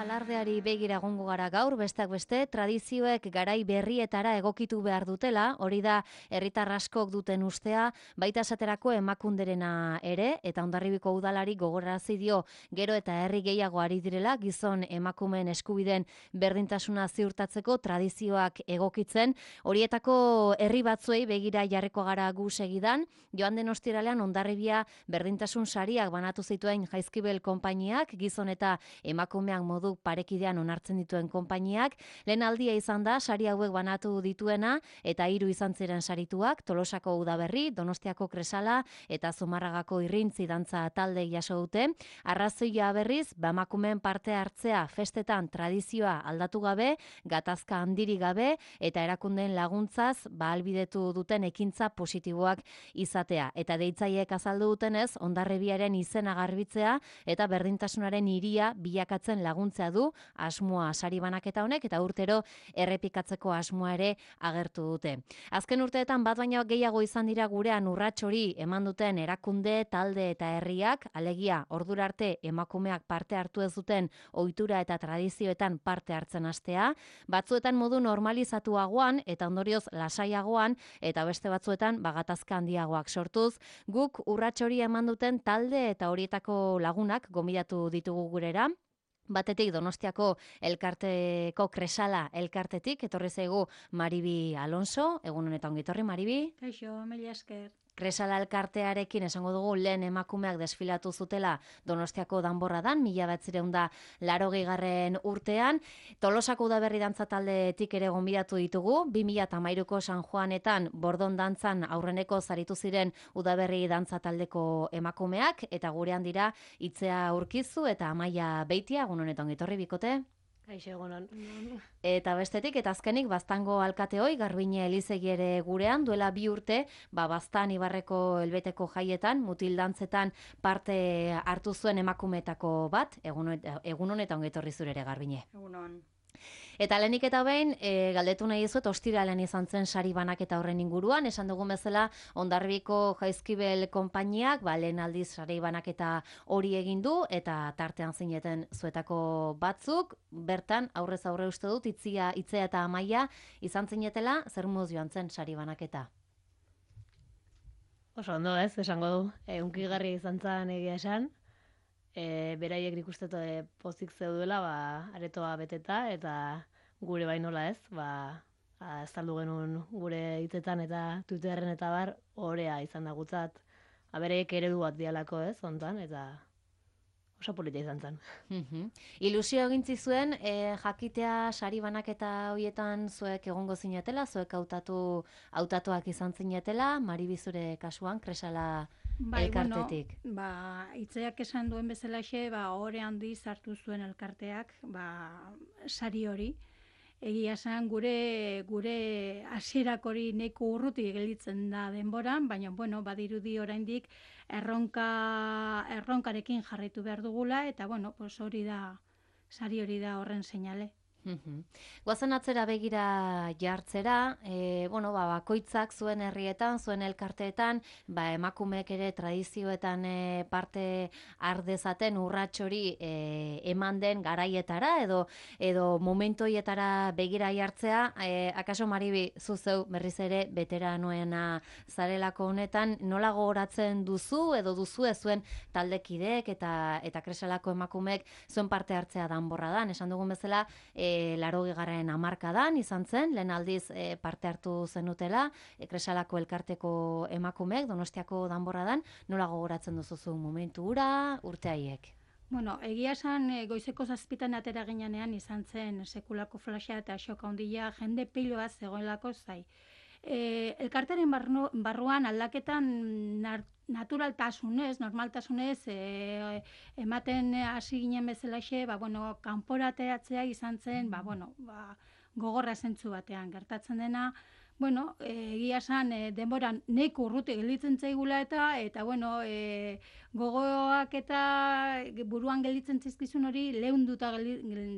Alardeari begira egongo gara gaur, besteak beste, tradizioek garai berrietara egokitu behar dutela, hori da herritar askok duten ustea, baita esaterako emakunderena ere, eta Hondarribiko udalari gogorarazi dio gero eta herri gehiago ari direla, gizon emakumeen eskubideen berdintasuna ziurtatzeko tradizioak egokitzen, horietako herri batzuei begira jarriko gara gu segidan, joan den ostiralean Hondarribia berdintasun sariak banatu zituen Jaizkibel konpainiak, gizon eta emakumeak modu parekidean onartzen dituen konpainiak, lehen aldia izan da sari hauek banatu dituena eta 3 izan ziren sarituak, Tolosako Udaberri, Donostiako Kresala eta Zumarragako Irrintzi dantza talde jaso dute. Arrazoia berriz, emakumeen parte hartzea festetan tradizioa aldatu gabe, gatazka handiri gabe eta erakundeen laguntzaz ahalbidetu duten ekintza positiboak izatea. Eta deitzaileek azaldu dutenez, Hondarribiaren izena garbitzea eta berdintasunaren hiria bilakatzen laguntza du asmoa sari banaketa honek eta urtero errepikatzeko asmoa ere agertu dute. Azken urteetan bat baino gehiago izan dira gurean urrats hori eman duten erakunde, talde eta herriak, alegia ordura arte emakumeak parte hartu ez duten ohitura eta tradizioetan parte hartzen hastea, batzuetan modu normalizatuagoan eta ondorioz lasaiagoan eta beste batzuetan gatazka handiagoak sortuz, guk urrats hori eman duten talde eta horietako lagunak gonbidatu ditugu gurera. Batetik Donostiako elkarteko Kresala elkartetik, etorri zaigu Maribi Alonso, egun honetan ongi etorri Maribi. Kaixo, mila esker. Kresala elkartearekin esango dugu lehen emakumeak desfilatu zutela Donostiako danborradan, 1980 urtean. Tolosako Udaberri dantza taldetik ere gonbidatu ditugu, 2013ko San Juanetan Bordon dantzan aurreneko zaritu ziren Udaberri dantza taldeko emakumeak, eta gurean dira Itzea Urkizu eta Amaia Beitia, egun honetan etorri bikote. Kaixo, egunon. Eta bestetik, eta azkenik, Baztango alkateoi, Garbine Elizegi ere gurean, duela 2 urte, Baztan Ibarreko helbeteko jaietan, mutil dantzetan parte hartu zuen emakumeetako bat, egun honetan ongi etorri zure ere, Garbine. Egunon. Eta lehenik eta behin, galdetu nahi dizuet, ostiralean izan zen sari banaketa horren inguruan, esan dugun bezala, Hondarribiko Jaizkibel konpainiak, lehen aldiz sari banaketa hori egin du, eta tartean zineten zuetako batzuk, bertan, aurrez aurre uste dut, Itzea eta Amaia, izan zinetela, zer moz joan zen sari banaketa? Oso ondo ez, esango du, hunkigarria izan zen egia esan, beraiek nik uste pozik zeuduela, aretoa beteta, eta gure bainola ez, azaldu genuen gure hitzetan eta Twitterren eta bar, orea izan da gutzat, beraiek eredu bat dialako ez, ontan, eta oso polita izan zen. Ilusio egintzi zuen, jakitea sari banaketa horietan zuek egongo zinetela, zuek hautatuak izan zinetela, Maribi zure kasuan, Kresala elkartetik. Itzeak esan duen bezalaxe, ohore handi hartu zuen elkarteak, sari hori. Egia esan gure hasierak hori nahiko urruti gelditzen da denboran, baina badirudi oraindik erronkarekin jarraitu behar dugula, eta sari hori da horren seinale. Goazen atzera begira jartzera, bakoitzak zuen herrietan, zuen elkarteetan, emakumeek ere tradizioetan parte ardezaten urrats hori eman den garaietara edo momentoietara begira jartzea, akaso Maribi zuzeu berriz ere veteranoena zarelako honetan, nola gogoratzen duzu edo duzu zuen taldekideek eta Kresalako emakumeek zuen parte hartzea danborradan, esan dugun bezala, 80. hamarkadan izan zen, lehen aldiz parte hartu zenutela, Kresalako elkarteko emakumeek, Donostiako danborradan, nola gogoratzen duzuzu momentu hura, urte haiek? Egia esan goizeko 7 atera ginean izan zen sekulako flasha eta xoka handia, jende piloa zegoelako zai. Elkartearen barruan aldaketan normaltasunez ematen hasi ginen bezalaxe, kanporateratzea izan zen, gogorra zentzu batean gertatzen dena, egia esan denboran nahiko urruti gelditzen zaigula eta gogoak eta buruan gelditzen zaizkizun hori leunduta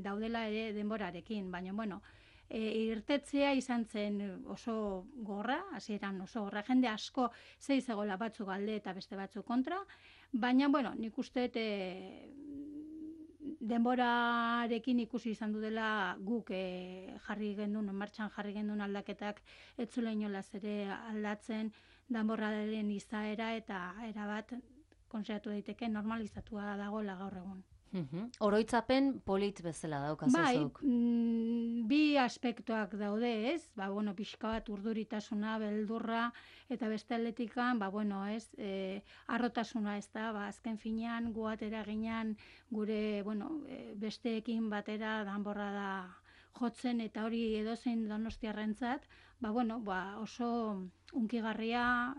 daudela ere denborarekin, baina irtetzea izan zen oso gorra, hasieran oso gorra, jende asko zegoela batzuk alde eta beste batzuk kontra, baina nik uste denborarekin ikusi izan du dela guk martxan jarri gendun aldaketak ez zula inolaz ere aldatzen danborraren izaera eta erabat konsideratu daiteke normalizatua dagoela gaur egun. Oroitzapen polit bezala daukazuzuk. Bai, bi aspektuak daude, ez? Pixka bat urduritasuna, beldurra, eta beste aldetikan, harrotasuna, ez da, azken finean, gu atera ginean, gure, besteekin batera danborra da jotzen, eta hori edozein donostiarrentzat, oso hunkigarria,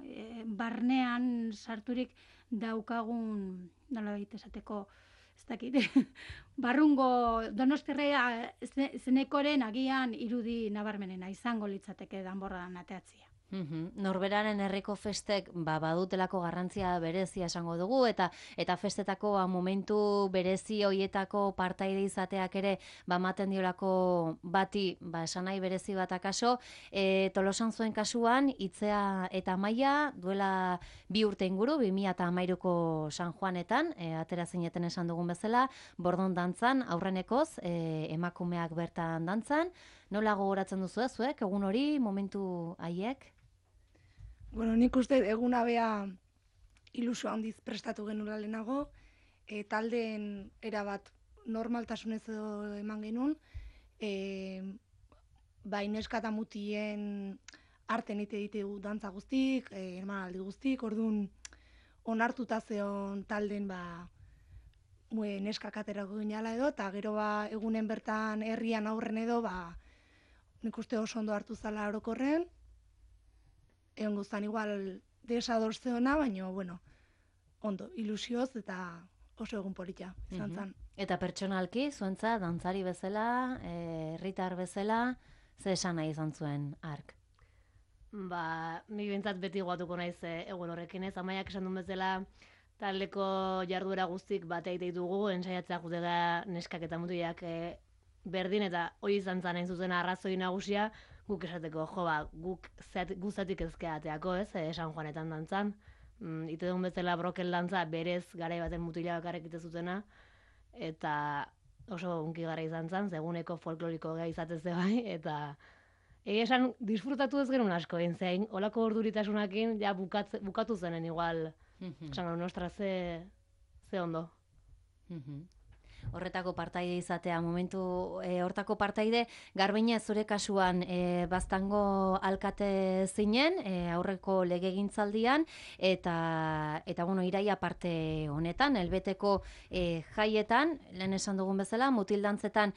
barnean sarturik daukagun, nolabait esateko, ez dakit, barrungo donostirrea zenekoren agian irudi nabarmenena izango litzateke danborradan ateatzia. Norberaren herriko festek badutelako garrantzia berezia esango dugu eta festetako momentu berezi hoietako partaide izateak ere ematen diolako bati esan nahi berezi bat akaso. Tolosan zuen kasuan Itzea eta Amaia duela 2 urte inguru 2013ko San Juanetan atera zineten esan dugun bezala bordon dantzan aurrenekoz emakumeak bertan dantzan. Nola gogoratzen duzu zuek egun hori momentu haiek? Nik uste eguna bea ilusio handiz prestatu genula lehenago, taldeen erabat normaltasunez edo eman genuen, neska eta mutien arten ite ditugu dantza guztik, hermanaldi guztik, orduan onartuta zeon talden neskak aterako ginala edo, eta gero egunen bertan herrian aurren edo, nik uste oso ondo hartu zala orokorren, egon guztan igual desadorze ona, baina, ondo, ilusioz eta oso egun polita izan zen. Eta pertsonalki, zuentza, dantzari bezala, herritar bezala, ze esan nahi izan zuen ark? Ni bintzat beti guatuko naiz egun horrekin ez, Amaiak esan duen bezala, taldeko jarduera guztik bateik ditugu, ensaiatzea jutega neskak eta mutiak berdin, eta hori izan zen hain zuzen arrazoi nagusia, guk esateko, guk guzatik ezkea ateako, ez, San Juanetan dantzan. Ite dugun bezala brokel dantza berez garai baten mutila bakarrik ite zutena, eta oso hunkigarra izan zen, seguneko folkloriko gai izatez bai, eta egia esan disfrutatu ez genuen asko egin zein, olako orduritasunakin ja bukatu zenen igual, esan nostra ze ondo. Horretako partaide izatea, momentu hortako partaide, Garbine zure kasuan Baztango alkate zinen, aurreko legegintzaldian, eta iraia parte honetan, elbeteko jaietan, lehen esan dugun bezala, mutildantzetan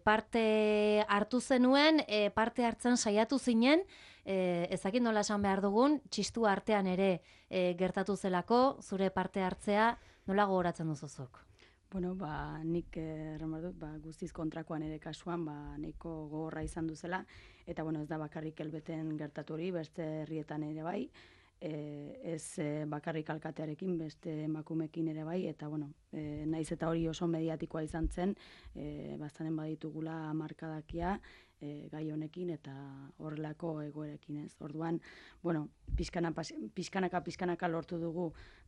parte hartu zenuen, parte hartzen saiatu zinen, ezakit nola esan behar dugun, txistu artean ere gertatu zelako, zure parte hartzea, nola gogoratzen duzuzuk? Nik dut, guztiz kontrakoan ere kasuan, nahiko gogorra izan duzela, eta ez da bakarrik elbeten gertatu hori, beste herrietan ere bai, ez bakarrik alkatearekin, beste emakumekin ere bai, eta naiz eta hori oso mediatikoa izan zen, bastanen baditugula markadakia, gai honekin eta horrelako egoerekin ez. Orduan, pixkanaka lortu dugu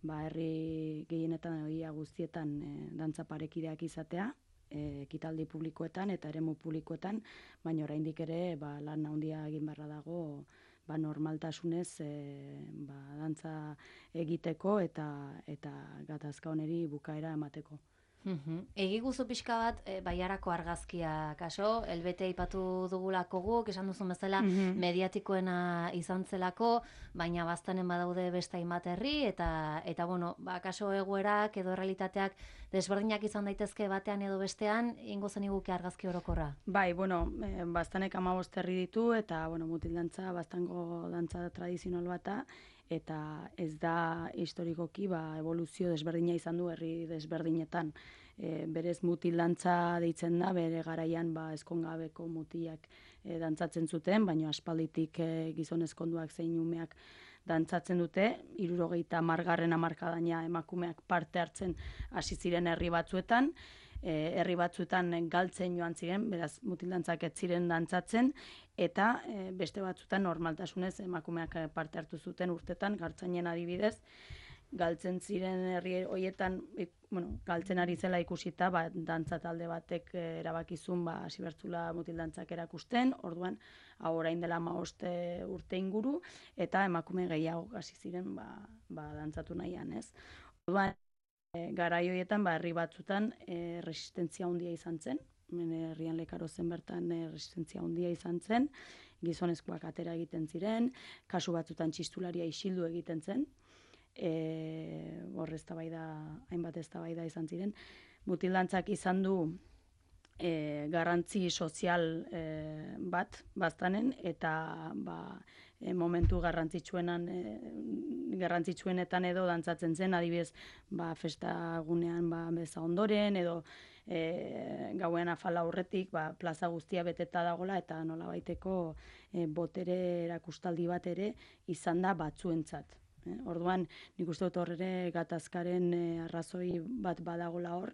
herri gehienetan egia guztietan dantza parekideak izatea, ekitaldi publikoetan eta eremu publikoetan, baina oraindik ere lan handia egin beharra dago normaltasunez dantza egiteko eta gatazka honeri bukaera emateko. Egi guzu pixka bat, Baiarako argazkia kaso, elbete aipatu dugulako guk, esan duzun bezala mediatikoena izan zelako, baina Baztanen badaude beste hainbat herri, eta kaso egoerak edo realitateak desberdinak izan daitezke batean edo bestean, ingo zen iguke argazki orokorra? Bai, Baztanek 15 herri ditu, eta mutildantza, Baztango dantza tradizional bata, eta ez da historikoki evoluzio desberdina izan du herri desberdinetan. Berez mutildantza deitzen da, bere garaian ezkongabeko mutilak dantzatzen zuten, baina aspalditik gizon ezkonduak zein umeak dantzatzen dute, 70. hamarkadaina emakumeak parte hartzen hasi ziren herri batzuetan, herri batzuetan galtzen joan ziren, beraz mutildantzak ez ziren dantzatzen, eta beste batzuetan normaltasunez emakumeak parte hartu zuten urtetan, Gartzainen adibidez, galtzen ziren herri horietan, galtzen ari zela ikusita, dantza talde batek erabakizun, hasi bertzula mutil dantzak erakusten, orduan, hau orain dela 15 urte inguru, eta emakume gehiago hasi ziren, dantzatu nahian, ez? Orduan, garai horietan, herri batzutan, resistentzia handia izan zen, herrian Lekaro zen bertan resistentzia handia izan zen, gizonezkoak atera egiten ziren, kasu batzutan txistularia isildu egiten zen, hor hainbat eztabaida izan ziren. Mutil dantzak izan du garrantzi sozial bat baztanen, eta momentu garrantzitsuenetan edo dantzatzen zen, adibidez, festa gunean beza ondoren, edo gauean afala aurretik, plaza guztia beteta dagola, eta nolabaiteko botere erakustaldi bat ere izan da batzuentzat. Orduan, nik uste dut hor ere gatazkaren arrazoi bat badagola hor,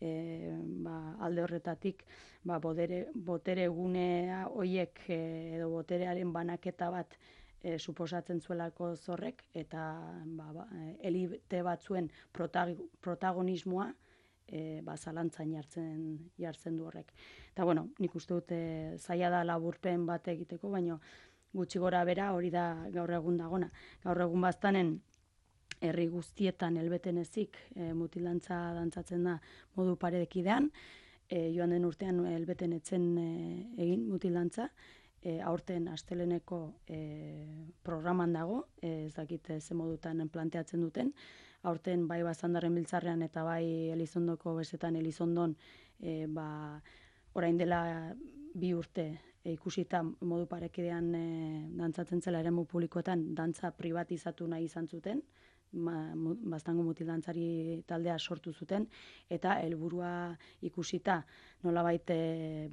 alde horretatik botere gunea hoiek edo boterearen banaketa bat suposatzen zuelako zorrek, eta elite batzuen protagonismoa zalantzan jartzen du horrek. Eta bueno, nik uste dut zaila da laburpen bat egiteko, baina gutxi gora bera hori da gaur egun dagona. Gaur egun baztanen herri guztietan helbeten ezik mutil dantza dantzatzen da modu parekidean, joan den urtean helbeten etzen egin mutil dantza, aurten asteleneko programan dago, ez dakit ze modutan planteatzen duten, aurten bai Bazandarren Biltzarrean eta bai Elizondoko besetan Elizondon orain dela 2 urte ikusita modu parekidean dantzatzen zela eremu publikoetan dantza privatizatu nahi izan zuten, Baztango mutil dantzari taldea sortu zuten, eta helburua ikusita nolabait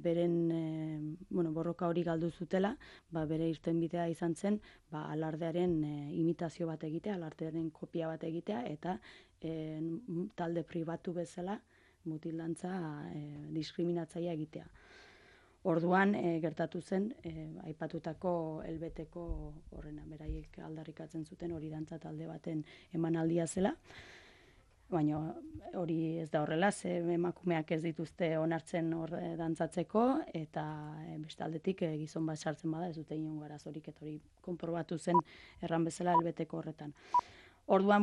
beren borroka hori galdu zutela, bere irtenbidea izan zen, alardearen imitazio bat egitea, alardearen kopia bat egitea, eta talde pribatu bezala mutil dantza diskriminatzailea egitea. Orduan gertatu zen, aipatutako helbeteko horrena, beraiek aldarrikatzen zuten hori dantza talde baten emanaldia zela, baina hori ez da horrela, ze emakumeak ez dituzte onartzen hor dantzatzeko, eta beste aldetik gizon bat sartzen bada ez dute inongo arazorik, eta hori konprobatu zen erran bezala helbeteko horretan. Orduan,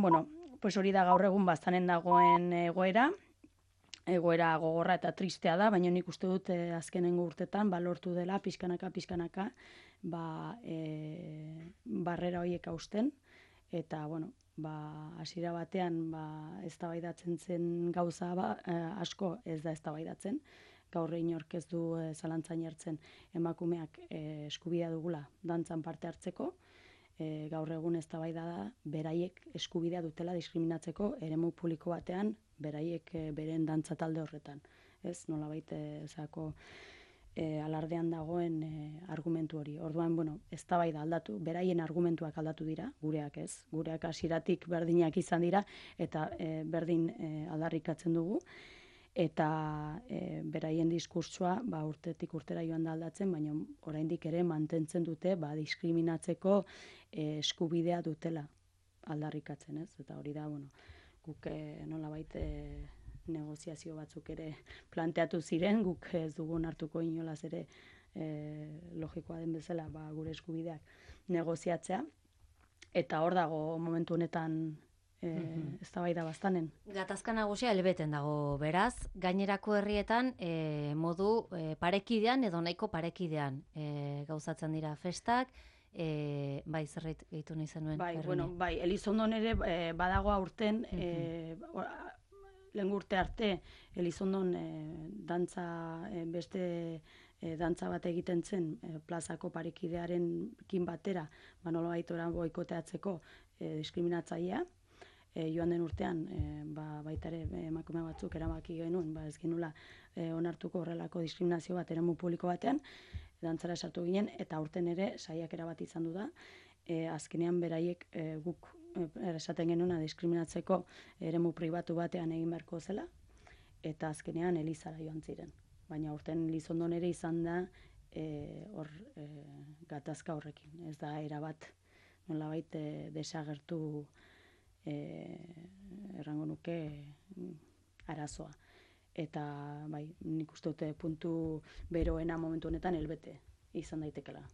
hori da gaur egun Baztanen dagoen egoera gogorra eta tristea da, baina nik uste dut azkenengo urtetan lortu dela pixkanaka barrera horiek hausten, eta hasiera batean eztabaidatzen zen gauza asko ez da eztabaidatzen, gaur inork ez du zalantzan jartzen emakumeak eskubidea dugula dantzan parte hartzeko, gaur egun eztabaida da beraiek eskubidea dutela diskriminatzeko eremu publiko batean, beraiek beren dantza talde horretan. Ez, nolabait alardean dagoen argumentu hori. Orduan, eztabaida aldatu, beraien argumentuak aldatu dira, gureak ez. Gureak hasieratik berdinak izan dira, eta berdin aldarrikatzen dugu. Eta beraien diskurtsoa urtetik urtera joan da aldatzen, baina oraindik ere mantentzen dute diskriminatzeko eskubidea dutela aldarrikatzen, ez? Eta hori da, guk nolabait negoziazio batzuk ere planteatu ziren, guk ez dugun hartuko inolaz ere logikoa den bezala gure eskubideak negoziatzea, eta hor dago momentu honetan eztabaida Baztanen. Gatazka nagusia helbeten dago, beraz, gainerako herrietan modu parekidean edo nahiko parekidean gauzatzen dira festak, zerbait gehitu nahi zenuen. Elizondon ere badago aurten, lehen urte arte, Elizondon dantza beste dantza bat egiten zen plazako parekidearekin batera, nolabait boikoteatzeko diskriminatzailea. Joan den urtean, baita ere emakume batzuk erabaki genuen, ez genula onartuko horrelako diskriminazio bat eremu publiko batean, dantzara sartu ginen, eta aurten ere saiakera bat izan du da, azkenean beraiek guk esaten genuena diskriminatzeko eremu pribatu batean egin beharko zela, eta azkenean Elizara joan ziren. Baina aurten Elizondon ere izan da hor gatazka horrekin, ez da erabat nolabait desagertu errango nuke arazoa. Eta bai, nik uste dute puntu beroena momentu honetan helbete izan daitekela.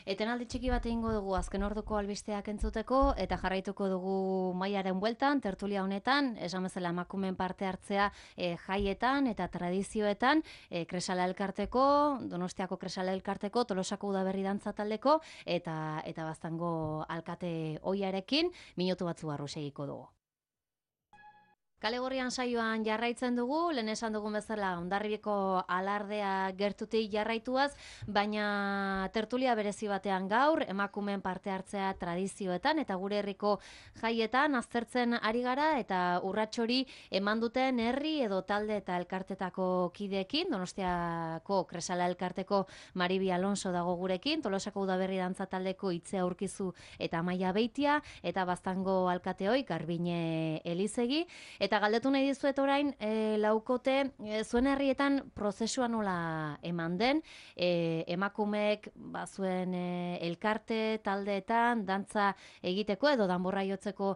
Etenaldi txiki bat egingo dugu azken orduko albisteak entzuteko eta jarraituko dugu Maiaren bueltan, tertulia honetan, esan bezala emakumeen parte hartzea jaietan eta tradizioetan, Kresala elkarteko, Donostiako Kresala elkarteko, Tolosako Udaberri dantza taldeko eta Baztango alkate ohiarekin minutu batzu barru segiko dugu. Kale Gorrian saioan jarraitzen dugu, lehen esan dugun bezala Hondarribiko alardea gertutik jarraituaz, baina tertulia berezi batean gaur, emakumeen parte hartzea tradizioetan eta gure herriko jaietan aztertzen ari gara eta urratxori eman duten herri edo talde eta elkartetako kideekin, Donostiako Kresala elkarteko Maribi Alonso dago gurekin, Tolosako Udaberri dantza taldeko Itzea Urkizu eta Amaia Beitia, eta Baztango alkateoi Garbine Elizegi. Eta galdetu nahi dizuet orain, laukote, zuen herrietan prozesua nola eman den, emakumeek zuen elkarte taldeetan, dantza egiteko edo danborra jotzeko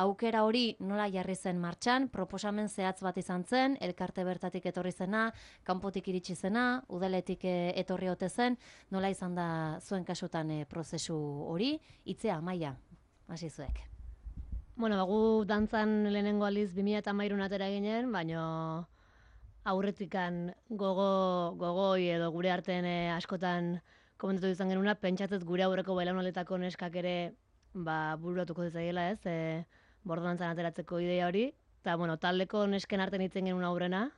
aukera hori nola jarri zen martxan, proposamen zehatz bat izan zen, elkarte bertatik etorri zena, kanpotik iritsi zena, udaletik etorri ote zen, nola izan da zuen kasutan prozesu hori, Itzea, Amaia, hasi zuek. Bueno, gu dantzan lehenengo aldiz 2013 atera ginen, baina aurretikan gogoi edo gure artean askotan komentatu izan genuna, pentsatzez gure aurreko belaunaldetako neskak ere bururatuko zaiela, ez, bordodantzan ateratzeko ideia hori. Eta, bueno, taldeko nesken artean hitzen genuen aurrena,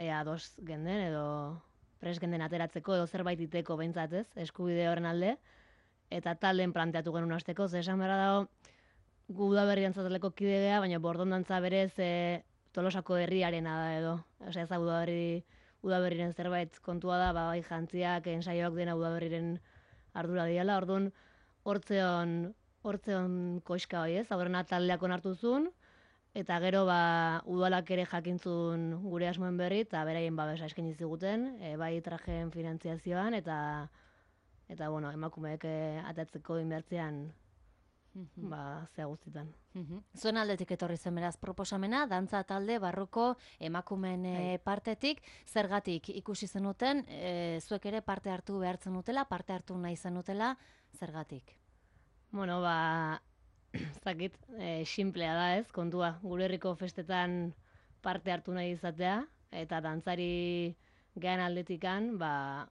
ea ados genden edo pres genden ateratzeko edo zerbait iteko behintzat, ez, eskubide horren alde. Eta talden planteatu genuen hasteko, ze esan behar dago, gu Udaberri dantzataleko kide gea, baina bordondantza berez Tolosako herriarena da edo. Osea, ez da Udaberriren zerbait kontua da, bai jantziak, ensaioak dena Udaberriren ardura diala. Orduan, hortzeon koiska hoi, ez? Aurrena taldeak onartu zuen, eta gero udalak ere jakintzun gure asmoen berri, eta beraien babesa eskaini ziguten, bai trajeen finantziazioan, eta bueno, emakumeek atatzeko inbertzean zea guztitan. Zuen aldetik etorri zen beraz proposamena, dantza talde barruko emakumeen partetik, zergatik ikusi zenuten, zuek ere parte hartu behartzen dutela, parte hartu nahi zenutela, zergatik? Bueno, zakit, simplea da ez, kontua, gure herriko festetan parte hartu nahi izatea, eta dantzari gehan aldetikan,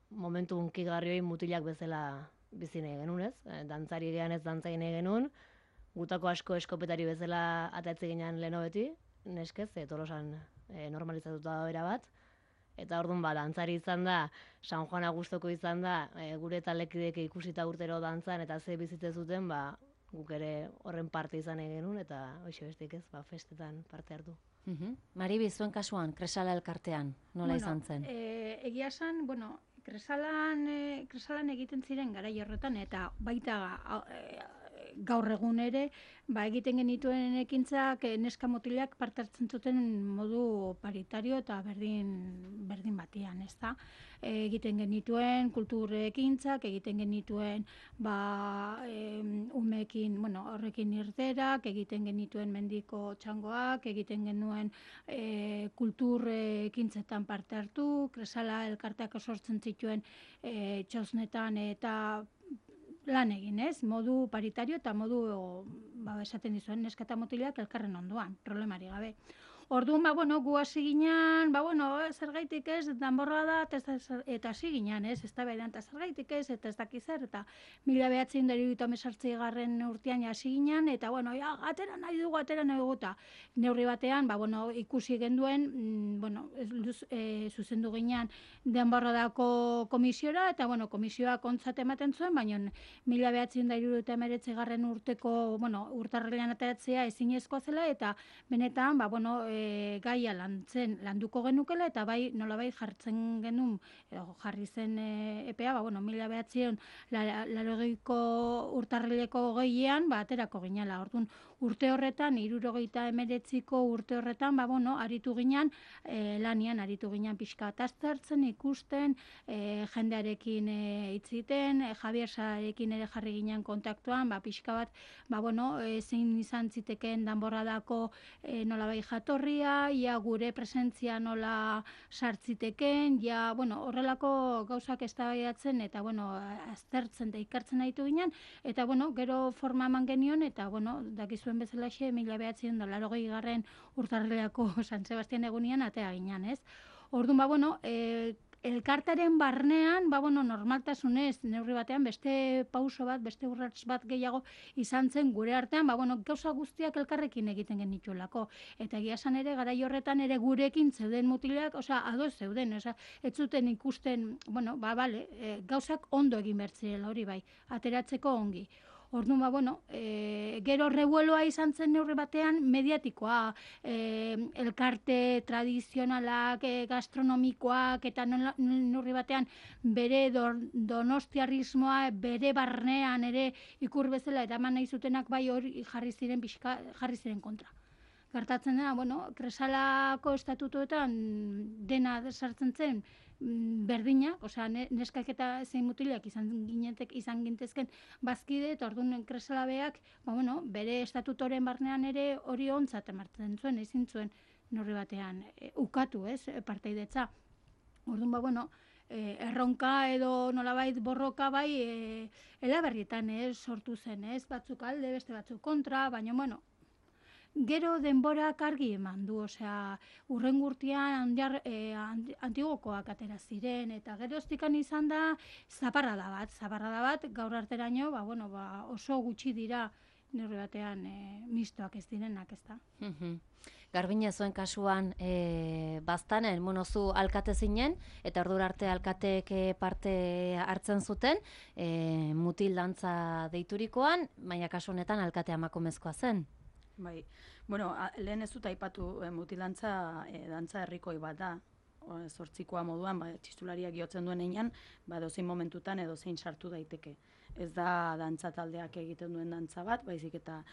momentu hunkigarrioi mutilak bezala bizi nahi genuen, ez? Dantzari gehan ez dantzai nahi genuen, gutako asko eskopetari bezala atatze ginen leheno beti, neskez, Tolosan normalizatuta da bera bat, eta orduan dantzari izan da, San Juan Agustoko izan da, gure talekidek ikusita urtero dantzan, eta ze bizitze zuten, guk ere horren parte izan nahi genuen, eta hoxe bestik ez, festetan parte hartu. Maribi, zuen kasuan, Kresala elkartean, nola izan zen? Egia esan, Kresalan egiten ziren garai horretan, eta baita gaur egun ere, egiten genituen ekintzak neska mutilak parte hartzen zuten modu paritario eta berdin batian, ezta? Egiten genituen kultur ekintzak, egiten genituen umeekin, horrekin irterak, egiten genituen mendiko txangoak, egiten genuen kultur ekintzetan parte hartu, Kresala elkarteak sortzen zituen txosnetan eta lan egin, ez? Modu paritario eta modu, esaten dizuen, neska eta mutilak elkarren ondoan, problemari gabe. Orduan, gu hasi ginen, zergaitik ez, danborra da, eta hasi ginen, ez, ez da berean, eta zergaitik ez, eta ez dakiz zer, eta 1978 urtean hasi ginen, eta, atera nahi dugu, eta neurri batean, ikusi genduen, zuzendu ginen danborradako komisiora, eta, komisioak ontzat ematen zuen, baina 1979 urteko, urtarrilean ateratzea ezinezkoa zela, eta benetan, gaia landuko genukela, eta nolabait jartzen genuen, jarri zen EPA, 1980ko urtarrileko 20ean, aterako ginela. Orduan, urte horretan, 79ko urte horretan, aritu ginen, lanian aritu ginen pixka aztertzen, ikusten, jendearekin hitziten, Javier Saarekin ere jarri ginen kontaktuan, pixka bat, zein izan zitekeen Danborradako nolabait jatorria, ia gure presentzia nola sartziteken, horrelako gauzak eztabaidatzen eta aztertzen da ikartzen ditu ginen, eta gero forma eman genion, eta dakizuen bezalaxe 1980 urtarrilako San Sebastian egunian atea ginen, ez? Orduan, elkartaren barnean, normaltasunez, neurri batean, beste pauso bat, beste urrats bat gehiago izan zen gure artean, gauza guztiak elkarrekin egiten genituelako. Eta egia esan ere, garai horretan ere gurekin zeuden mutilak, ados zeuden, ez zuten ikusten, gauzak ondo egin bertzirela hori bai, ateratzeko ongi. Orduan, gero revueloa izan zen neurri batean mediatikoa, elkarte tradizionalak, gastronomikoak, eta neurri batean bere donostiarrismoa, bere barnean ere ikur bezala eraman nahi zutenak bai hori jarri ziren kontra. Gertatzen dena, Kresalako estatutuetan dena sartzen zen, berdinak, neskak eta zein mutilak izan gintezken bazkide, eta orduan Kresalabeak, bere estatutoren barnean ere hori ontzat emartzen zuen, ezin zuen neurri batean ukatu, partaidetza. Orduan, erronka edo nolabait borroka bai Elaberrietan sortu zen, batzuk alde, beste batzuk kontra, baina gero denborak argi eman du, urrengo urtean Antigokoak atera ziren, eta geroztikan izan da zaparrada bat, gaur arteraino, oso gutxi dira neurri batean mistoak ez direnak, ez da. Garbine, zuen kasuan baztanen, zu alkate zinen, eta ordura arte alkateek parte hartzen zuten, mutil dantza deiturikoan, baina kasu honetan alkatea emakumezkoa zen. Bai, lehen ez dut aipatu mutilantza dantza herrikoi bat da, zortzikoa moduan, txistulariak jotzen duen einan, dozein momentutan edo zein sartu daiteke. Ez da dantza taldeak egiten duen dantza bat, baizik eta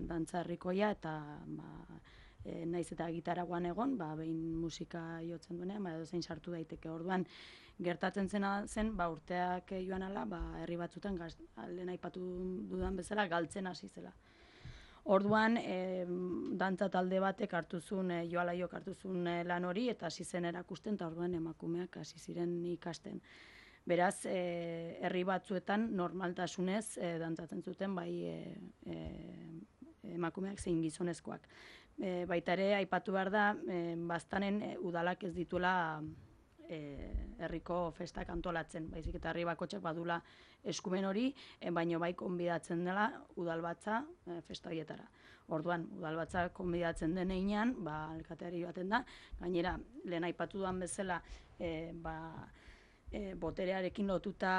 dantza herrikoia, eta naiz eta gitaragoan egon, behin musika jotzen duenean, edo zein sartu daiteke. Orduan, gertatzen zen, urteak joan ala, herri batzutan, lehen aipatu dudan bezala, galtzen hasi zela. Orduan, dantza talde batek hartu zuen, Joalaiok hartu zuen lan hori, eta hasi zen erakusten, eta orduan emakumeak hasi ziren ikasten. Beraz, herri batzuetan normaltasunez dantzatzen zuten, emakumeak zein gizonezkoak. Baita ere, aipatu behar da, baztanen udalak ez dituela herriko festak antolatzen, baizik eta herri bakotxak badula eskumen hori, baino bai konbidatzen dela udalbatza festa horietara. Orduan, udalbatza konbidatzen den einean, alkateari baten da, gainera, lehen aipatu duan bezala, boterearekin lotuta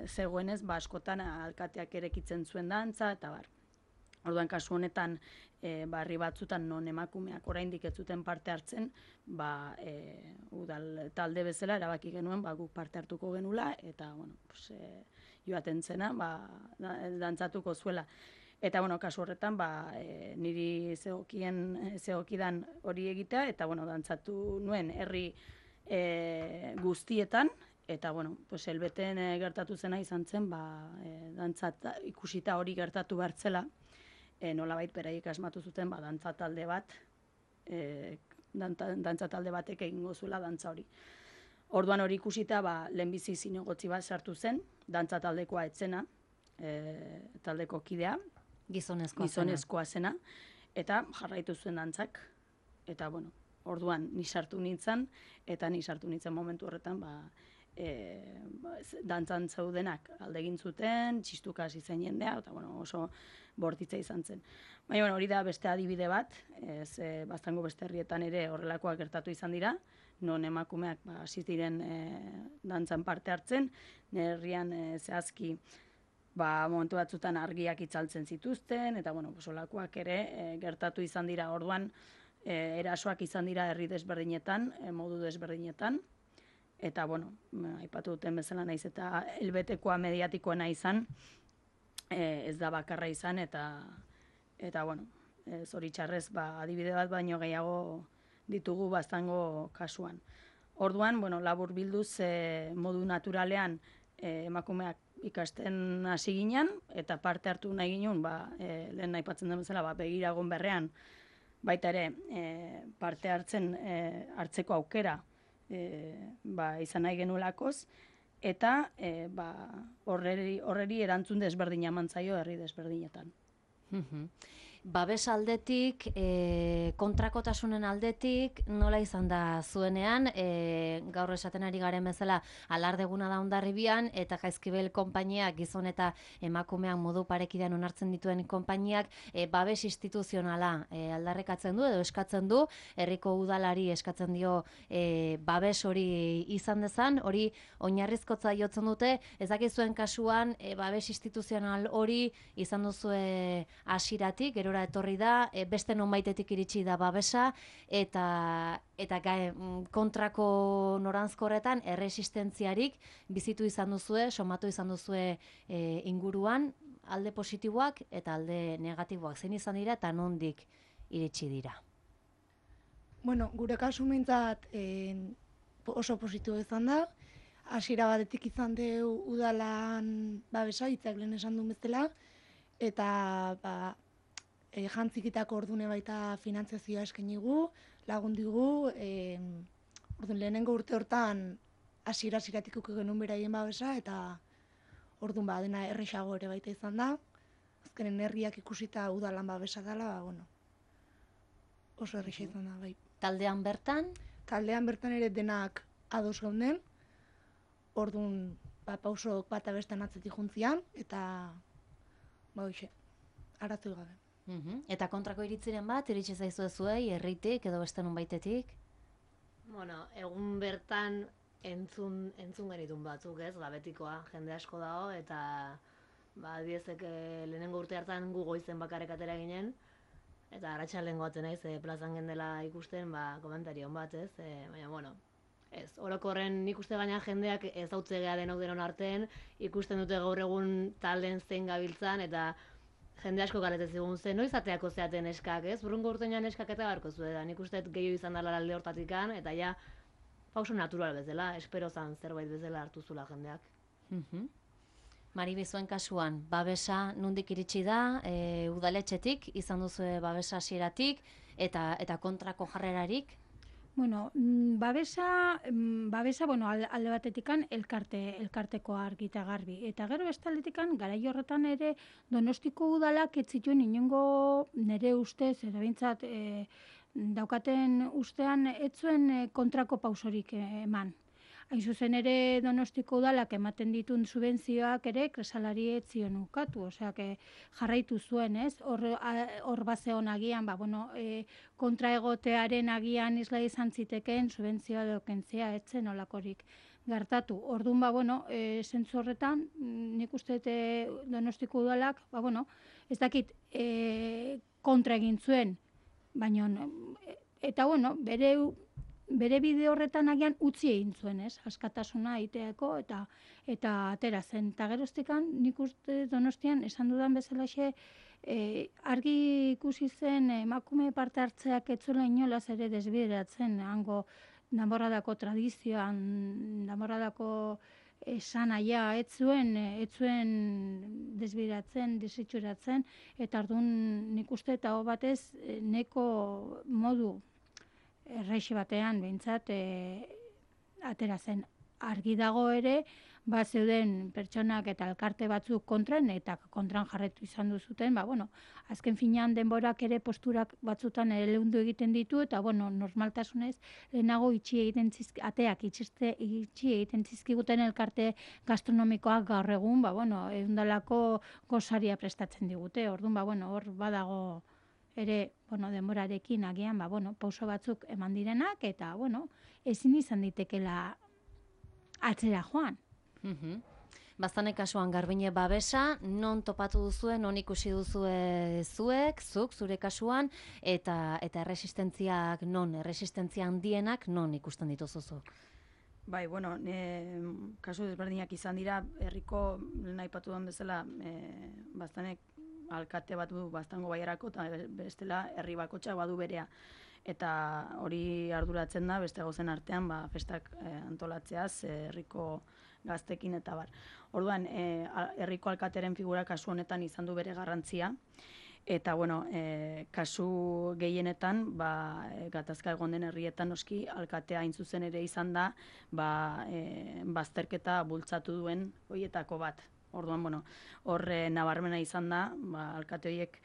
zegoenez, askotan alkateak erekitzen zuen dantza, eta bar. Orduan, kasu honetan, herri batzutan non emakumeak oraindik ez zuten parte hartzen, udal talde bezala erabaki genuen guk parte hartuko genula, eta joaten zena dantzatuko zuela. Eta kasu horretan niri zegokidan hori egitea, eta dantzatu nuen herri guztietan, eta helbeten gertatu zena izan zen, ikusita hori gertatu bertzela, nolabait beraiek asmatu zuten dantza talde bat, dantza talde batek egingo zuela dantza hori. Orduan hori ikusita lehenbizi zinegotzi bat sartu zen, dantza taldekoa etzena, taldeko kidea, gizonezkoa zena, eta jarraitu zuen dantzak. Eta orduan ni sartu nintzen, eta ni sartu nintzen momentu horretan dantzan zeudenak alde egin zuten, txistuka hasi zen jendea, eta oso bortitza izan zen. Baina hori da beste adibide bat, Baztango beste herrietan ere horrelakoak gertatu izan dira, non emakumeak hasi diren dantzan parte hartzen, herrian zehazki momentu batzutan argiak itzaltzen zituzten, eta holakoak ere gertatu izan dira. Orduan erasoak izan dira herri desberdinetan, modu desberdinetan, eta aipatu duten bezala naiz eta helbetekoa mediatikoena izan, ez da bakarra izan, eta bueno, zoritxarrez, adibide bat baino gehiago ditugu baztango kasuan. Orduan, bueno, labur bilduz modu naturalean emakumeak ikasten hasi ginen, eta parte hartu nahi ginen, lehen aipatzen den bezala, begiragon berrean, baita ere, parte hartzeko aukera izan nahi genuelakoz, eta horreri erantzun desberdina eman zaio herri desberdinetan. Babes aldetik, kontrakotasunen aldetik, nola izan da zuenean, gaur esaten ari garen bezala alardeguna da Hondarribian, eta Jaizkibel konpainiak, gizon eta emakumeak modu parekidean onartzen dituen konpainiak, babes instituzionala aldarrekatzen du edo eskatzen du, herriko udalari eskatzen dio babes hori izan dezan, hori oinarrizkotza jotzen dute, ez dakizuen kasuan babes instituzional hori izan duzue hasieratik, gerora etorri da, beste nonbaitetik iritsi da babesa, eta kontrako noranzkorretan erresistentziarik bizitu izan duzue, somatu izan duzue inguruan, alde positiboak eta alde negatiboak. Zein izan dira eta nondik iritsi dira? Bueno, gure kasu mintzat oso positibo izan da. Hasiera batetik izan du udalan babesa, hitzak lehen esan duen bezala, eta jantzikitako ordune baita finantziazioa eskainigu, lagundigu, orduan lehenengo urte hortan hasieratik genuen beraien babesa, eta orduan dena erresago ere baita izan da. Azkenen herriak ikusita udalan babesa dela, oso erresa izan da, bai. Taldean bertan? Taldean bertan ere denak ados gaunden, orduan pausok bata bestean atzetik juntzian, eta arazo gabe. Eta kontrako iritziren bat, iritsi zaizu zuei, herritik edo beste nonbaitetik? Bueno, egun bertan entzun genitun batzuk, ez, gabetikoa, jende asko dago, eta adiezek lehenengo urte hartan gu goizen bakarrik atera ginen, eta arratsaldean goaten naiz, plazan gendela ikusten, komentarion bat, ez, baina, bueno, ez, orokorren nik uste gaina jendeak ez hautzegea denok denon artean, ikusten dute gaur egun talden zein gabiltzan, eta jende asko galetzen zigun zen, noiz ateako zeaten eskak, ez? Burrungo urtean eskak eta barko zueda, nik uste gehiago izan dela alde hortatikan, eta ja, pauso natural bezala, espero zan zerbait bezala hartu zula jendeak. Maribi, zuen kasuan, babesa nondik iritsi da, udaletxetik, izan duzu babesa hasieratik, eta kontrako jarrerarik? Bueno, babesa, alde batetikan elkarteko argi eta garbi. Eta gero bestaletikan, garai horretan ere, Donostiko udalak ez zituen inongo nire ustez, edo bintzat, daukaten ustean ez zuen kontrako pausorik eman. Hain zuzen ere Donostiko udalak ematen ditun subentzioak ere kresalari ez zion ukatu, osea, jarraitu zuen, ez? Hor bazeon agian, kontra egotearen agian isla izan ziteken subentzioa edo kentzea etzen olakorik gertatu. Orduan, zentzu horretan, nik uste Donostiko udalak, ez dakit kontra egin zuen, baina, eta bere bide horretan agian utzi egin zuen, ez? Askatasuna egiteako eta atera zen. Eta geroztikan, nik uste Donostian esan dudan bezalaxe, argi ikusi zen emakume parte hartzeak ez zuela inolaz ere desbideratzen, hango Danborradako tradizioan, Danborradako esan aia, ez zuen desbideratzen, desitxuratzen, eta orduan nik uste eta batez neko modu erreixi batean behintzat atera zen. Argi dago ere, zeuden pertsonak eta elkarte batzuk kontran, eta kontran jarretu izan duzuten, azken finean denborak ere posturak batzutan ere leundu egiten ditu, eta normaltasunez lehenago ateak itxi egiten zizkiguten elkarte gastronomikoak gaur egun, eundalako gozaria prestatzen digute. Orduan, hor badago ere, denborarekin agian, pauso batzuk eman direnak, eta, ezin izan ditekela atzera joan. Baztane kasuan Garbine babesa, non topatu duzue, non ikusi duzue zuk, zure kasuan, eta erresistentziak non, erresistentzia handienak non ikusten dituzuzuk? Bai, bueno, kasu desberdinak izan dira, herriko lehen aipatu duen bezala, bastanek alkate bat du bastango baiarako, eta bestela herri bakotxa badu berea. Eta hori arduratzen da, beste gauzen artean, festak antolatzeaz, herriko gaztekin eta bar. Orduan, herriko alkateren figura kasu honetan izan du bere garrantzia, eta, bueno, kasu gehienetan, gatazka egon den herrietan noski alkatea hain zuzen ere izan da, bazterketa bultzatu duen horietako bat. Orduan, bueno, hor nabarmena izan da, alkate horiek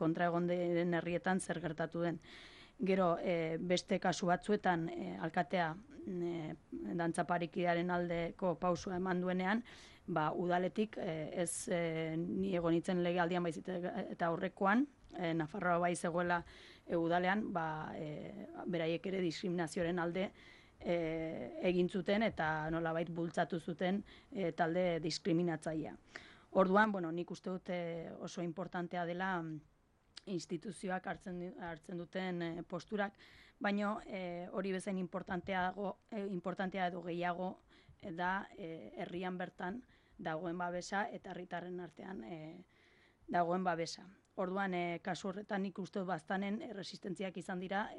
kontra egon den herrietan zer gertatu den. Gero, beste kasu batzuetan alkatea dantza parikidearen aldeko pausua eman duenean, udaletik ez ni egon nintzen legealdian baizik eta aurrekoan, Nafarroa bai zegoela udalean, beraiek ere diskriminazioaren alde egin zuten eta nolabait bultzatu zuten talde diskriminatzailea. Orduan, bueno, nik uste dut oso importantea dela instituzioak hartzen duten posturak, baina hori bezain importantea edo gehiago da herrian bertan dagoen babesa eta herritarren artean dagoen babesa. Orduan, kasu horretan nik uste dut baztanen resistentziak izan dira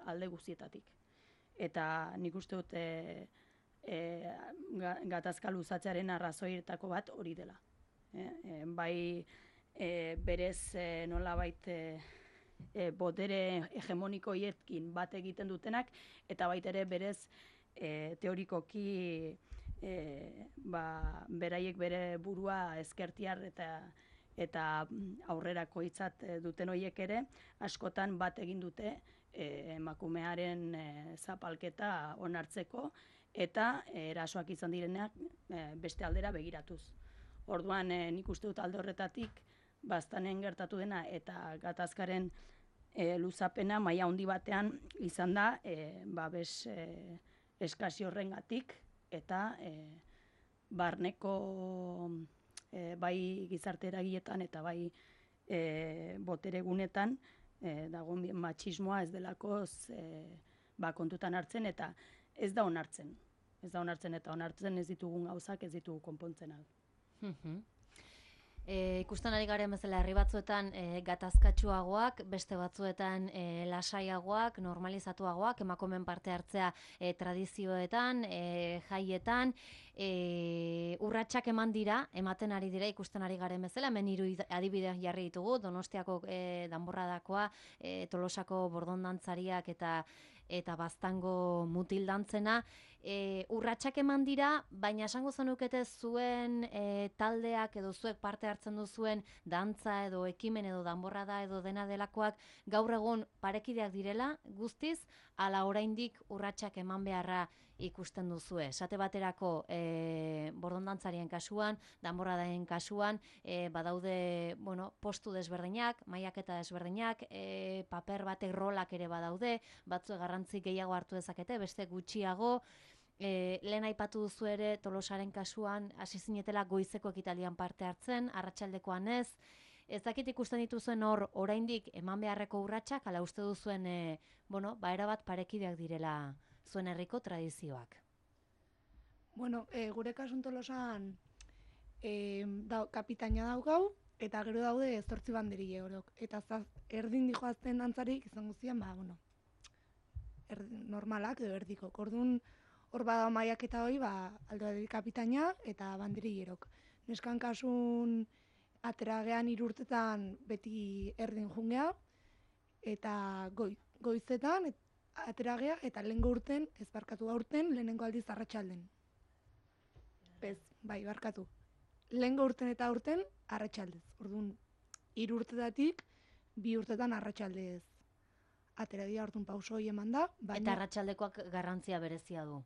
alde guztietatik. Eta nik uste dut gatazka luzatzearen arrazoietako bat hori dela. Bai berez nolabait botere hegemoniko hiekin bat egiten dutenak, eta baita ere berez teorikoki beraiek bere burua ezkertiar eta aurrerako hitzat duten horiek ere, askotan bat egin dute emakumearen zapalketa onartzeko, eta erasoak izan direnak beste aldera begiratuz. Orduan, nik uste dut alde horretatik, baztanen gertatu dena eta gatazkaren luzapena maila handi batean izan da, babes eskasi horrengatik eta barneko bai gizarte eragiletan eta bai botere gunetan dagoen matxismoa ez delako kontutan hartzen eta ez da onartzen. Ez da onartzen eta onartzen ez ditugun gauzak ez ditugu konpontzen al. Ikusten ari garen bezala herri batzuetan gatazkatsuagoak, beste batzuetan lasaiagoak, normalizatuagoak, emakumeen parte hartzea tradizioetan, jaietan, urratsak ematen ari dira ikusten ari garen bezala, hemen 3 adibide jarri ditugu, Donostiako danborradakoa, Tolosako bordondantzariak eta Baztango mutildantzena, urratsak eman dira, baina esango zenukete zuen taldeak edo zuek parte hartzen duzuen dantza edo ekimen edo danborrada edo dena delakoak gaur egun parekideak direla guztiz, ala oraindik urratsak eman beharra ikusten duzue. Esate baterako bordondantzarien kasuan, danborradaen kasuan, badaude postu desberdinak, mailaketa desberdinak, paper batek rolak ere badaude, batzuek garrantzi gehiago hartu dezakete, beste gutxiago. Lehen aipatu duzu ere Tolosaren kasuan hasi zinetela goizeko ekitaldian parte hartzen, arratsaldekoan ez. Ez dakit ikusten dituzuen hor oraindik eman beharreko urratsak, ala uste duzuen erabat parekideak direla zuen herriko tradizioak. Gure kasun Tolosan kapitaina daukau, eta gero daude 8 banderille orok. Eta erdin dijoazten dantzarik izan guztian, normalak edo erdiko. Orduan, hor bada mailaketa hori, alde kapitaina eta banderillerok. Neskan kasun ateragean 3 urtetan beti erdin jungea, eta goizetan ateragea, eta lehengo urten, ez barkatu aurten, lehenengo aldiz arratsalden. Barkatu. Lehengo urten eta aurten arratsaldez. Orduan, 3 urtetatik 2 urtetan arratsaldez. Ateragia orduan pauso hori eman da. Eta arratsaldekoak garrantzia berezia du.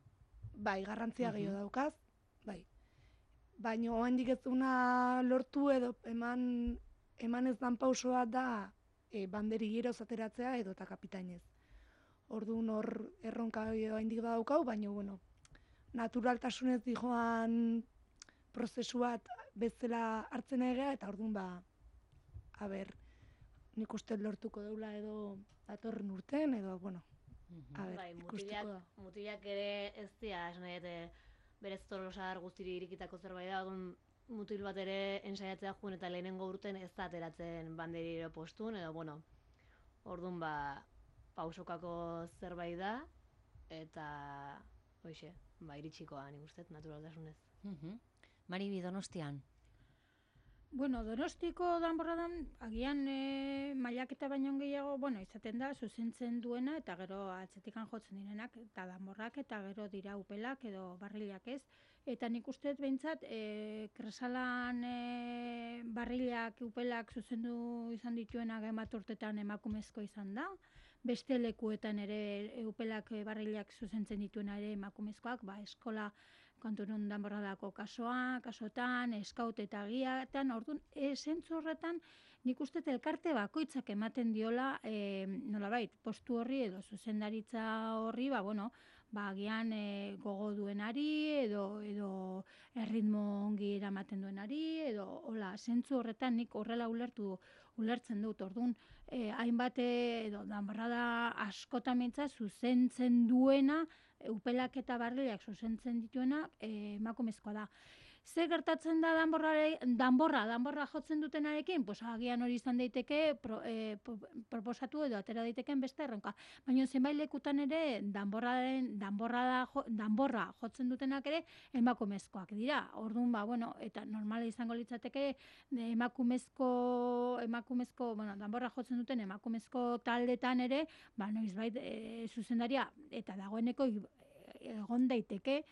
Bai, garrantzia gehiago daukaz, bai. Baina oraindik ez duna lortu edo eman ez dan pausoa da banderilleroz ateratzea edo eta kapitainez. Orduan hor erronka oraindik badaukau, baina naturaltasunez dijoan prozesu bat bezala hartzen egea, eta orduan nik uste lortuko deula edo datorren urten, edo, A ber, Bai, ikusteko da. mutilak ere ez dira, esan nahi, berez tolosar guztiri irikitako zerbait da, orduan mutil bat ere ensaiatzea juen eta lehenengo urten ez da ateratzen banderiro postun, edo, bueno, orduan pausokako zerbait da, eta, hoxe, iritsikoa nik uste, naturaltasunez. Maribi, Donostian? Bueno, Donostiko danborradan, agian mailaketa baino gehiago, izaten da, zuzentzen duena, eta gero atzetikan jotzen direnak, eta danborrak, eta gero dira upelak edo barrilak ez. Eta nik uste behintzat, Kresalan barrilak, upelak zuzendu izan dituenak emat urtetan emakumezko izan da. Beste lekuetan ere upelak barrilak zuzentzen dituena ere emakumezkoak, eskola konturun danborradako kasotan, eskaut eta giatan, orduan, zentzu horretan, nik uste elkarte bakoitzak ematen diola, nolabait, postu horri edo zuzendaritza horri, agian gogo duenari, edo erritmo ongi eramaten duenari, edo, hola, zentzu horretan nik horrela ulertzen dut, orduan, hainbat edo danborrada askotan mintza zuzentzen duena, upelak eta barrilak zuzentzen dituena emakumezkoa da. Ze gertatzen da danborra jotzen dutenarekin? Agian hori izan daiteke proposatu edo atera daiteken beste erronka. Baina zenbait lekutan ere danborra jotzen dutenak ere emakumezkoak dira. Orduan, eta normala izango litzateke emakumezko, danborra jotzen duten emakumezko taldetan ere, noizbait zuzendaria eta dagoeneko egon daiteke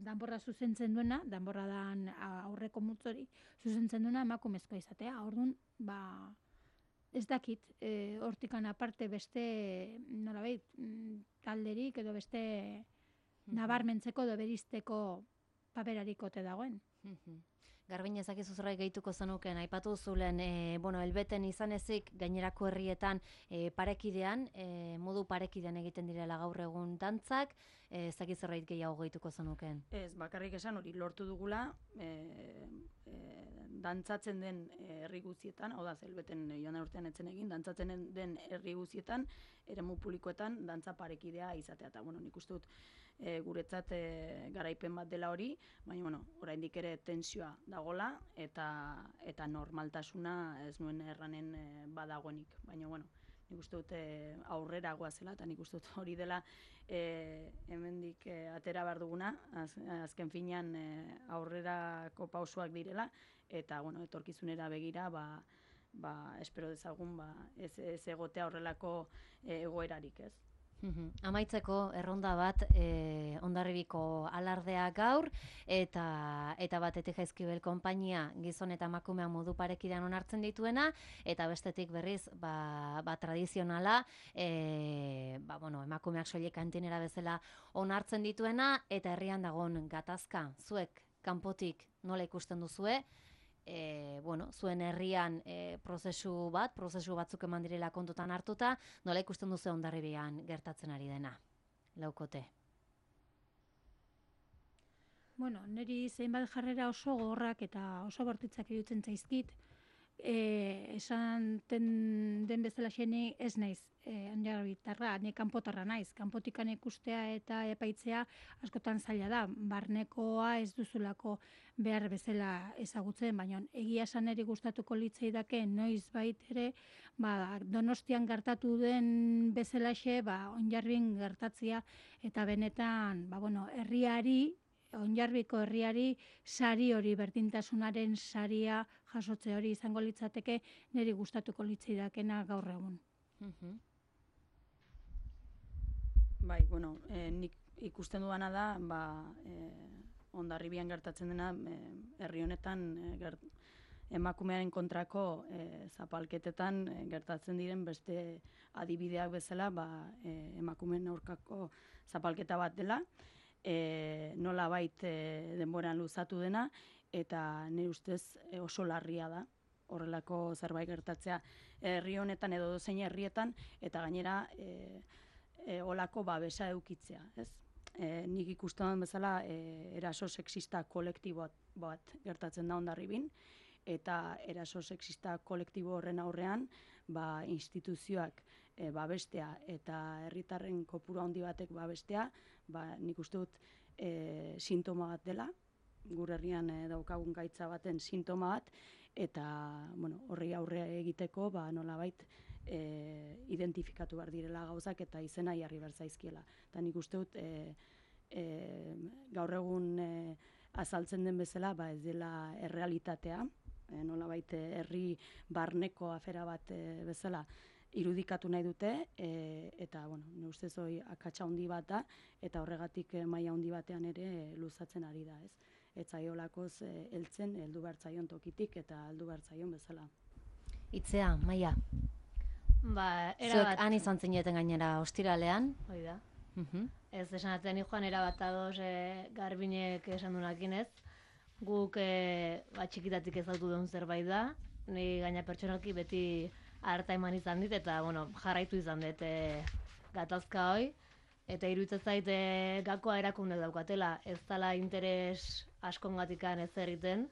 danborra zuzentzen duena, danborradan aurreko multzori zuzentzen duena emakumezkoa izatea. Orduan, ez dakit, hortikan aparte beste, nolabait, talderik edo beste nabarmentzeko edo beristeko paperarik ote dagoen. Garbin, ezakizu zerbait gehituko zenuken, aipatu zulen, elbeten izan ezik gainerako herrietan parekidean, modu parekidean egiten direla gaur egun dantzak, ezakiz zerbait gehiago gehituko zenuken. Ez, bakarrik esan hori lortu dugula, dantzatzen den herri guztietan, hau da, elbeten joan den urtean etzen egin, dantzatzen den herri guztietan, eremu publikoetan dantza parekidea izatea. Eta, nik uste dut guretzat garaipen bat dela hori, baina, oraindik ere tensioa dagola, eta normaltasuna ez nuen erranen badagoenik. Baina, nik uste dut aurrera goazela, eta nik uste dut hori dela hemendik atera behar duguna, azken finean aurrerako pausoak direla, eta etorkizunera begira, espero dezagun, ez egotea horrelako egoerarik, ez. Amaitzeko erronda bat Hondarribiko alardea gaur eta batetik Jaizkibel konpainia gizon eta emakumea modu parekidean onartzen dituena eta bestetik berriz tradizionala emakumeak soilik kantinera bezala onartzen dituena eta herrian dagoen gatazka zuek kanpotik nola ikusten duzue? Zuen herrian prozesu batzuk eman direla kontutan hartuta, nola ikusten duzu Hondarribian gertatzen ari dena? Laukote. Niri zeinbat jarrera oso gogorrak eta oso bortitzak iruditzen zaizkit, esan den bezala xeni ez naiz, Hondarribitarra, ni kanpotarra naiz. Kanpotikan ikustea eta epaitzea askotan zaila da. Barnekoa ez duzulako behar bezala ezagutzen, baina egia esan eri gustatuko litzaidake noizbait ere, Donostian gertatu den bezalaxe, Hondarribin gertatzea eta benetan, herriari, Hondarribiko herriari sari hori, berdintasunaren saria jasotze hori izango litzateke niri gustatuko litzaidakena gaur egun. Bai, nik ikusten duana da, Hondarribian gertatzen dena, herri honetan emakumearen kontrako zapalketetan gertatzen diren beste adibideak bezala, emakumeen aurkako zapalketa bat dela, nolabait denboran luzatu dena, eta nire ustez oso larria da horrelako zerbait gertatzea herri honetan edo dozein herrietan, eta gainera olako babesa edukitzea, ez? Nik ikusten bezala eraso sexista kolektibo bat gertatzen da Hondarribin, eta eraso sexista kolektibo horren aurrean instituzioak babestea eta herritarren kopuru handi batek babestea, nik uste dut sintoma bat dela, gure herrian daukagun gaitza baten sintoma bat, eta horri aurre egiteko nolabait identifikatu behar direla gauzak eta izena jarri behar zaizkiela. Eta nik uste dut gaur egun azaltzen den bezala ez dela errealitatea, nolabait herri barneko afera bat bezala irudikatu nahi dute, eta nire ustez hori akatsa handi bat da, eta horregatik maila handi batean ere luzatzen ari da, ez? Ez zaiolakoz heltzen, heldu behar zaion tokitik eta heldu behar zaion bezala. Itzea, Maia. Zuek han izan zineten gainera ostiralean. Hoi da. Ez esan atzen joan erabat ados Garbinek esan dunakin ez. Guk txikitatik ezautu duen zerbait da. Ni gaina pertsonalki beti harta eman izan dit eta jarraitu izan dut gatazka hoi. Eta iruditzen zait gakoa erakundek daukatela, ez dela interes askongatikan ez egiten,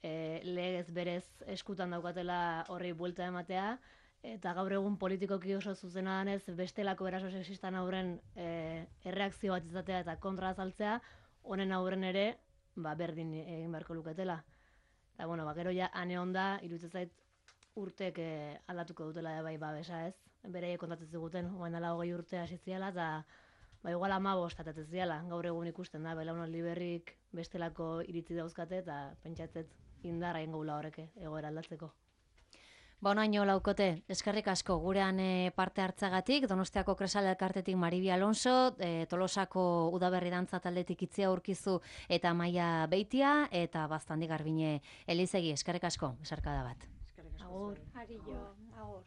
legez berez eskutan daukatela horri buelta ematea, eta gaur egun politikoki oso zuzena danez bestelako eraso sexistan aurren erreakzio bat izatea eta kontra azaltzea, honen aurren ere berdin egin beharko luketela. Eta gero ja ane onda, iruditzen zait urtek aldatuko dutela bai babesa ez. Beraiek kontatzen ziguten, oain dela 20 urte hasi ziala, eta igual 15 atatzen ziala, gaur egun ikusten da, belaunaldi berrik bestelako iritzi dauzkate, eta pentsatzet indarra egingo gula horreke, egoera aldatzeko. Bonaino laukote, eskerrik asko gurean parte hartzagatik, Donostiako Kresal elkartetik Maribi Alonso, Tolosako Udaberri dantza taldetik Itzea Urkizu eta Maia Beitia, eta Baztandi Garbine Elizegi, eskerrik asko, besarkada bat. Eskerrik asko. Agur. Ari jo, agur.